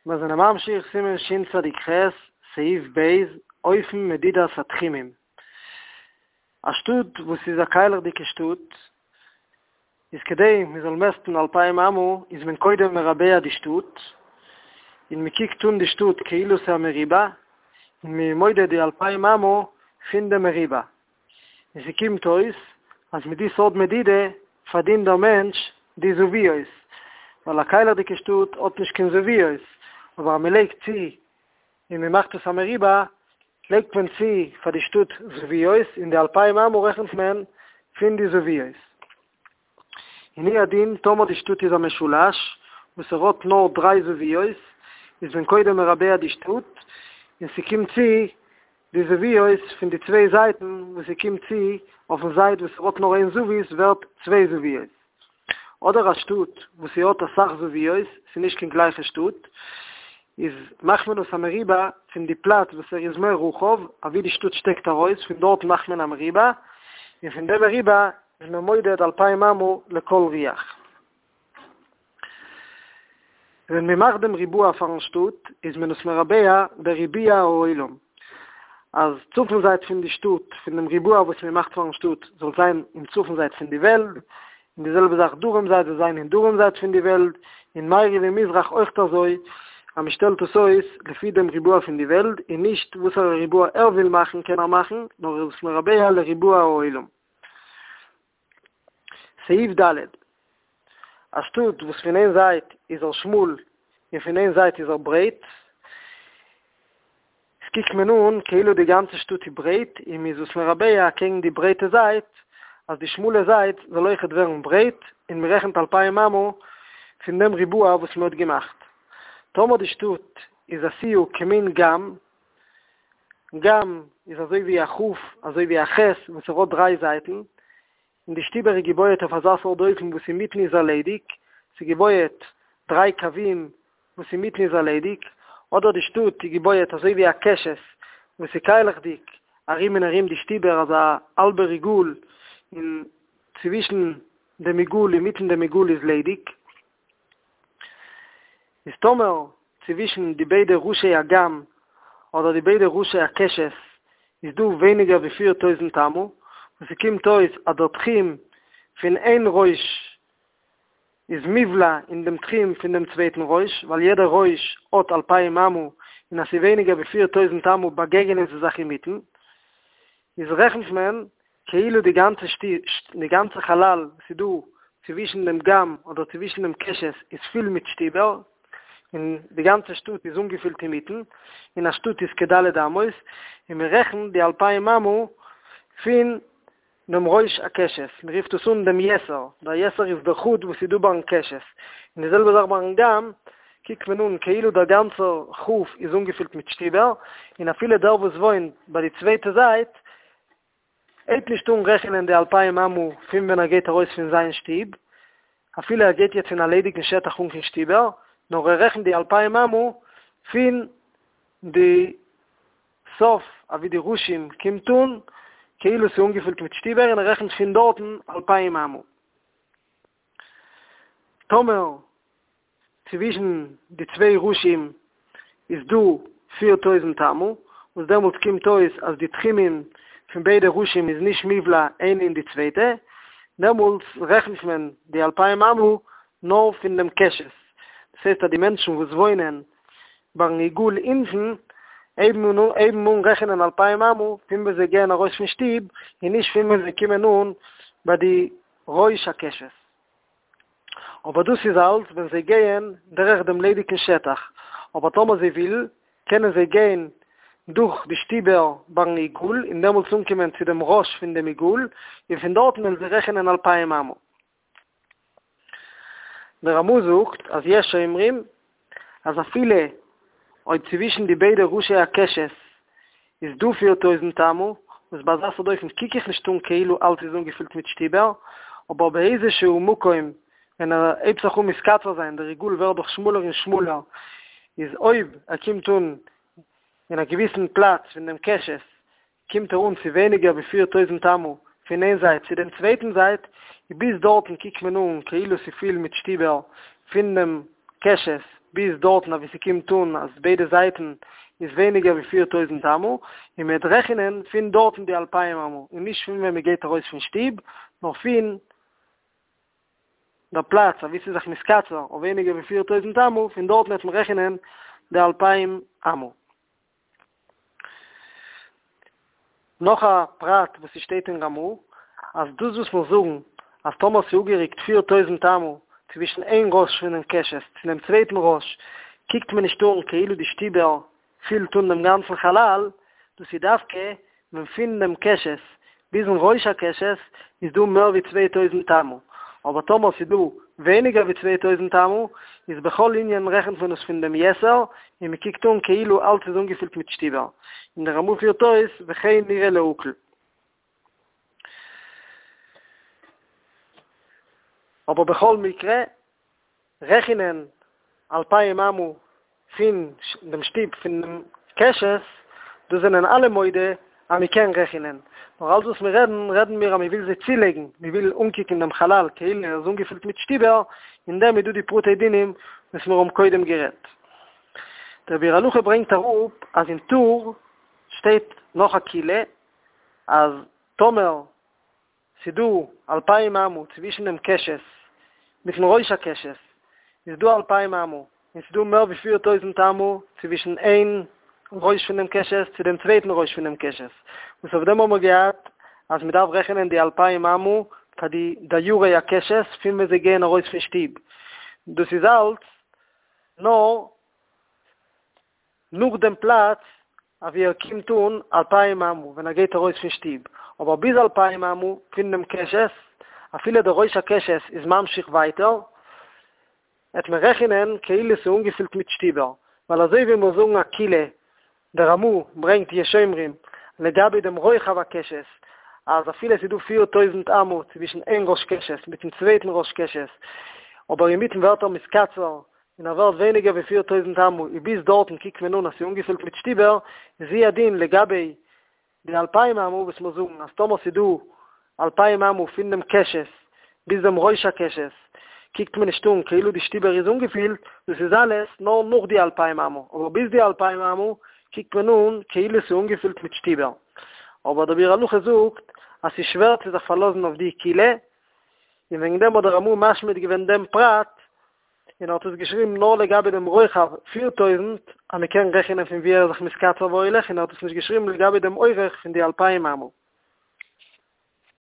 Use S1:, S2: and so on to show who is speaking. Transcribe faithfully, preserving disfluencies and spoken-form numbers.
S1: מיר זענען ממשיך סימן שצ"ח, סעיף ב', אופן מדידת התחומים. א שטאט וואס איז א קיילעכדיגע שטאט, איז כדי מען זאל מעסטן אלפיים אמה, איז מען קודם מרבע די שטאט, און מען קוקט אן די שטאט כאילו ס'איז א מרובע, און מען מודד די אלפיים אמה פון דעם מרובע. און ס'קומט אויס אז מיט די סארט מדידה פארדינט דער מענטש די זוויות, ווייל א קיילעכדיגע שטאט האט נישט קיין זוויות, אבער אז מען לייגט צו און מען מאכט עס א מרובע, לייגט מען צו פאר די שטאט זוויות, און די אלפיים אמה רעכנט מען פון די זוויות. און הוא הדין טאמער די שטאט איז א משולש וואס ער האט נאר דריי זוויות, איז מען קודם מרבע די שטאט, און ס'קומט צו די זוויות פון די צוויי זייטן וואס ס'קומט צו אויפן זייט וואס ער האט נאר איין זווית ווערט צוויי זוויות. אדער א שטאט וואס ס'האט אסאך זוויות, ס'איז נישט קיין גלייכע שטאט, איז מאכט מען עס א מרובע פון די פלאץ וואס ער איז מער רחב, אוואו די שטאט שטעקט ארויס, פון דארט מאכט מען א מרובע, און פון די מרובע איז מען מודד אלפיים אמה לכל רוח. ווען מען מאכט דעם ריבוע פארן שטאט איז מען עס מרבע בריבוע העולם, אז צפון זייט פון די שטאט, פון דעם ריבוע וואס מען מאכט פארן שטאט, זאל זיין אין צפון זייט פון די וועלט, און די זעלבע זאך דרום זייט זאל זיין אין דרום זייט פון די וועלט, און מערב און מזרח אויכט אזוי, אז מען שטעלט עס אויס לפי דעם ריבוע פון די וועלט, און נישט וואסערע ריבוע ער וויל מאכן קען ער מאכן, נאר ער איז עס מרבע לריבוע העולם. סעיף ד'. א שטאט וואס פון איין זייט איז ער שמאל און פון איין זייט איז ער ברייט, עס קוקט מען אן כאילו די גאנצע שטאט איז ברייט און מען איז עס מרבע אקעגן די ברייטע זייט, אז די שמאלע זייט זאל אויכעט ווערן ברייט, און מען רעכנט אלפיים אמה פון דעם ריבוע וואס מען האט געמאכט. טאמער די שטאט איז עשויה כמין גם, גם איז אזוי ווי א כ', אזוי ווי א ח' וואס ער האט דריי זייטן, און די שטיבער איז געבויעט אויף אזא סארט אופן וואס אינמיטן איז ער ליידיג, ס'איז געבויעט דריי קווים וואס אינמיטן איז ער ליידיג, אדער די שטאט איז געבויעט אזוי ווי א קשת וואס איז קיילעכדיג ארום און ארום די שטיבער אזא האלבער עיגול און צווישן דעם עיגול אינמיטן דעם עיגול איז ליידיג. איז טאמער צווישן די ביידע ראשי הגם אדער די ביידע ראשי הקשת איז דא ווייניגער ווי פיר טויזנט אמה, וואס ס'קומט אויס אז דער תחום פון איין ראש איז מובלע אין דעם תחום פון דעם צווייטן ראש, ווייל יעדער ראש האט אלפיים אמה, און אז ס'איז ווייניגער ווי פיר טויזנט אמה באגעגענען זיי זיך אינמיטן, איז רעכנט מען כאילו די גאנצע די גאנצע חלל וואס איז דא צווישן דעם גם אדער צווישן דעם קשת איז פול מיט שטיבער, און די גאנצע שטאט איז אנגעפילט אינמיטן, און א שטאט איז כד' אמות, און מען רעכנט די אלפיים אמה פון דעם ראש הקשת, מען רופט עס אן דעם יתר, דער יתר איז דער חוט וואס איז דא ביים קשת, און די זעלבע זאך ביים גם, קוקט מען אן כאילו דער גאנצער כ' איז אנגעפילט מיט שטיבער, און אפילו דער וואס וואוינט ביי די צווייטע זייט, הייבט נישט אן רעכענען די אלפיים אמה פון ווען ער גייט ארויס פון זיין שטוב, אפילו ער גייט יעצט אין א ליידיגן שטח אן קיין שטיבער, נאר ער רעכנט די אלפיים אמה פון די סוף אוואו די ראשים קומט אן, כאילו ס'איז אנגעפילט מיט שטיבער און ער רעכנט פון דארטן אלפיים אמה. טאמער צווישן די צוויי ראשים איז דא פיר טויזנט אמה, וואס דעמאלטס קומט אויס אז די תחומים פון ביידע ראשים איז נישט מובלע איינע אין די צווייטע, דעמאלטס רעכנט מען די אלפיים אמה נאר פון דעם קשת, דאס הייסט אז די מענטשן וואס וואוינען ביים עיגול אונטן הייבן אן הייבן אן רעכענען אלפיים אמה פון ווען זיי גייען ארויס פון שטוב און נישט פון ווען זיי קומען אן ביי די ראש הקשת. אבער דאס איז אלץ ווען זיי גייען דורך דעם ליידיגן שטח, אבער טאמער זיי ווילן, קענען זיי גיין דורך די שטיבער ביים עיגול און דעמאלטס אנקומען צו דעם ראש פון דעם עיגול, און פון דארטן וועלן זיי רעכענען אלפיים אמה. דער רמ"א זאגט אז יש אומרים אז אפילו אויב צווישן די ביידע ראשי הקשת איז דא פיר טויזנט אמה, וואס ביי אזא סארט אופן קוק איך נישט אן כאילו אלץ איז אנגעפילט מיט שטיבער, אבער באיזה שהוא מקום ווען ער הייבט זיך אן מתקצר זיין, דער עיגול ווערט דאך שמאלער און שמאלער, איז אויב ער קומט אן אין א געוויסן פלאץ פון דעם קשת קומט ער אן צו ווייניגער ווי פיר טויזנט אמה פון איין זייט צו דעם צווייטן זייט, און ביז דארטן קוקט מען אן כאילו ס'איז פיל מיט שטיבער פון דעם קשת ביז דארטן אוואו ס'קומט אן אז ביידע זייטן איז ווייניגער ווי פֿיר טויזנט אמה, און מ'וועט רעכענען פון דארטן די אלפיים אמה, און נישט פון ווען מ'גייט ארויס פון שטוב, נאר פון דער פלאץ אוואו ס'איז זיך מתקצר אויף ווייניגער ווי פֿיר טויזנט אמה, פון דארטן וועט מען רעכענען די אלפיים אמה. נאך א פרט וואס ס'שטייט אין רמ"א, אז דאס וואס מיר זאגן אז טאמער ס'איז אפגערוקט פֿיר טויזנט אמה צווישן איין ראש פונעם קשת צו דעם צווייטן ראש, קוקט מען נישט אן כאילו די שטיבער פילט אן דעם גאנצן חלל, דאס איז דווקא ווען פון דעם קשת ביזן ראש הקשת איז דא מער ווי צוויי טויזנט אמה, אבער טאמער ס'איז דא ווייניגער ווי צוויי טויזנט אמה, איז בכל ענין רעכנט מען עס פון דעם יתר, און מען קוקט אן כאילו אלץ איז אנגעפילט מיט שטיבער. און דער רמ"א פירט אויס וכן נראה להקל. אבער בכל מקרה, רעכענען אלפיים אמה פון דעם שטוב פון דעם קשת, דאס זענען אלע מודה אז מען קען רעכענען, נאר אלץ וואס מיר רעדן, רעדן מיר אז מען וויל זיי צולייגן, מען וויל אנקוקן דעם חלל כאילו ער איז אנגעפילט מיט שטיבער, אין דעם איז דא די פרטי דינים וואס מיר האבן קודם גערעדט. דער ביאור הלכה ברענגט אראפ אז אין טור שטייט נאך א קולא אז טאמער ס'דא אלפיים אמה צווישן דעם קשת מיטן ראש הקשת איז דא אלפיים אמה, און ס'דא מער ווי פיר טויזנט אמה צווישן איין ראש פון דעם קשת צו דעם צווייטן ראש פון דעם קשת, וואס אויף דעם האבן מיר געהאט אז מ'דארף רעכענען די אלפיים אמה פאר די דיירי הקשת פון ווען זיי גייען ארויס פון שטוב, דאס איז אלץ נאר נאך דעם פלאץ אוואו ער קומט אן אלפיים אמה ווען ער גייט ארויס פון שטוב, אבער ביז אלפיים אמה פון דעם קשת, אפילו דער ראש הקשת איז ממשיך ווייטער, וועט מען רעכענען כאילו ס'איז אנגעפילט מיט שטיבער, ווייל אזוי ווי מיר זאגן א קולא, דער רמ"א ברענגט יש אומרים לגבי דעם רוחב הקשת, אז אפילו ס'איז דא פֿיר טויזנט אמה צווישן איין ראש קשת מיטן צווייטן ראש קשת, אבער אינמיטן ווערט ער מתקצר און ער ווערט ווייניגער ווי פֿיר טויזנט אמה, און ביז דארטן קוקט מען אן אז ס'איז אנגעפילט מיט שטיבער, איז הוא הדין לגבי די אלפיים אמה וואס מיר זאגן אז טאמער ס'איז דא אלפיים אמה פון דעם קשת ביז דעם ראש הקשת קוקט מען נישט אן כאילו די שטיבער איז אנגעפילט, דאס איז אלעס נאר נאך די אלפיים אמה, אבער ביז די אלפיים אמה קוקט מען אן כאילו ס'איז אנגעפילט מיט שטיבער. אבער דער ביאור הלכה זאגט אז ס'איז שווער צו זיך פארלאזן אויף די קולא, און וועגן דעם האט דער רמ"א משמיט געווען דעם פרט, און ער האט עס געשריבן נאר לגבי דעם רוחב פֿיר טויזנט, אז מען קען רעכענען פון וואו ער איז זיך מתקצר והולך, און ער האט עס נישט געשריבן לגבי דעם אורך פון די אלפיים אמה.